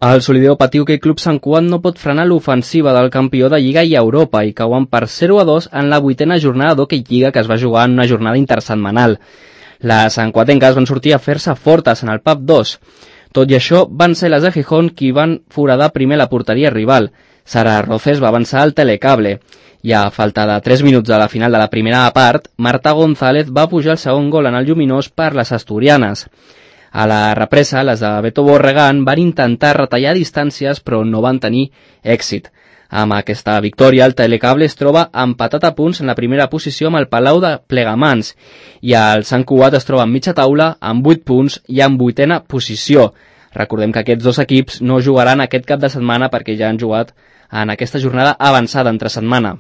El Solideo Patiu Hoquei Club Sant Cugat no pot frenar l'ofensiva del campió de Lliga i Europa i cauen per 0-2 en la 8a jornada d'Hoquei Lliga que es va jugar en una jornada intersetmanal. Les santcuatenques van sortir a fer-se fortes en el PAP 2. Tot i això, van ser les de Gijón qui van foradar primer la porteria rival. Sara Roces va avançar al telecable. I a falta de 3 minuts de la final de la primera part, Marta González va pujar el segon gol en el lluminós per les asturianes. A la represa, les de Beto Borregan van intentar retallar distàncies però no van tenir èxit. Amb aquesta victòria, el telecable es troba empatat a punts en la primera posició amb el Palau de Plegamans i el Sant Cugat es troba en mitja taula amb 8 punts i en 8a posició. Recordem que aquests dos equips no jugaran aquest cap de setmana perquè ja han jugat en aquesta jornada avançada entre setmana.